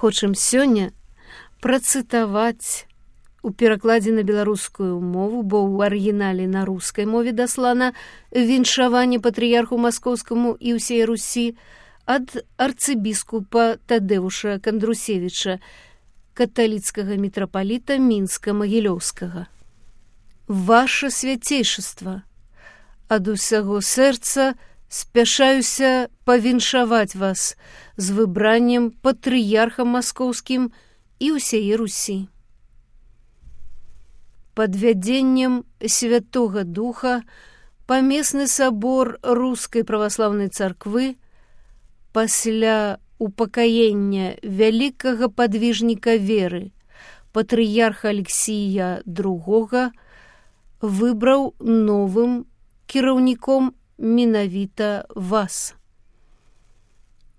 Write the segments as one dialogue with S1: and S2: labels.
S1: Хочам сёння працытаваць у перакладзе на беларускую мову, бо ў арыгінале на рускай мове даслана віншаванне патрыярху маскоўскаму і ўсей Русі ад арцыбіскупа Тадэвуша Кандрусевіча, каталіцкага мітрапаліта Мінска-Магілёўскага. Ваша свяцейшаства, ад усяго сэрца спяшаюся павіншаваць вас з выбраннем патрыярхам маскоўскім і ўсяе Русі. Пад вядзеннем Святога Духа памесны сабор Рускай праваслаўнай царквы пасля упакаення вялікага падвіжніка веры, патрыярха Алексія II, выбраў новым кіраўніком менавіта вас.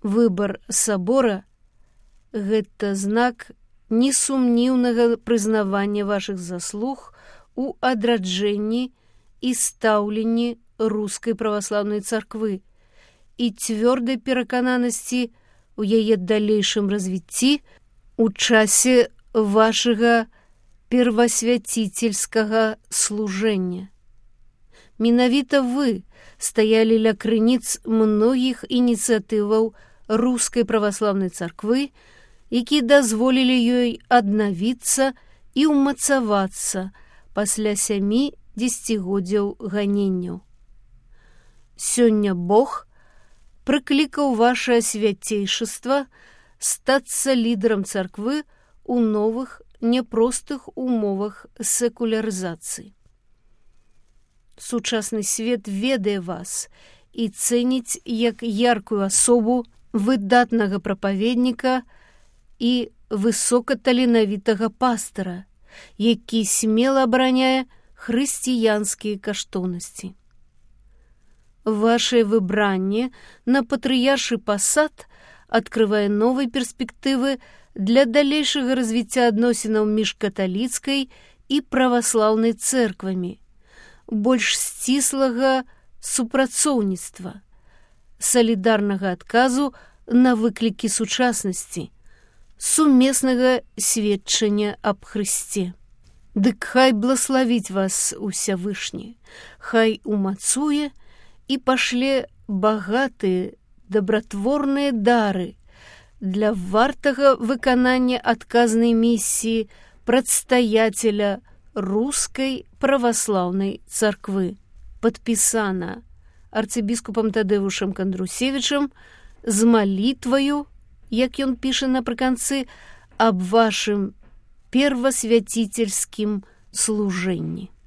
S1: Выбар сабора – гэта знак несумніўнага прызнавання вашых заслуг у адраджэнні і стаўленні Рускай праваслаўнай царквы і цвёрдай перакананасці у яе далейшым развіцці у часе вашага первасвяцительскага служэння. Менавіта вы стаялі ля крыніц многіх ініцыятываў Рускай праваслаўнай царквы, якія дазволілі ёй аднавіцца і ўмацавацца пасля 7 дзесяцігоддзяў ганенняў. Сёння Бог прыклікаў ваше свяцейшаства стацца лідарам царквы ў новых няпростых умовах секулярызацыі. Сучасны свет ведае вас і цэніць як яркую асобу выдатнага прапаведніка і высокаталенавітага пастара, які смела абараняе хрысціянскія каштоўнасці. Вашае выбранне на патрыяршы пасад адкрывае новыя перспектывы для далейшага развіцця адносінаў між каталіцкай і праваслаўнай цэрквамі, больш сціслага супрацоўніцтва, салідарнага адказу на выклікі сучаснасці, сумеснага сведчання аб Хрысце. Дык хай блаславіць вас Усявышні, хай умацуе і пашле багатыя дабратворныя дары для вартага выканання адказнай місіі прадстаяцеля Рускай праваслаўнай царквы. Падпісана арцыбіскупам Тадэвушам Кандрусевічам з малітваю, як ён піша напрыканцы, аб вашым первасвяцительскім служэнні.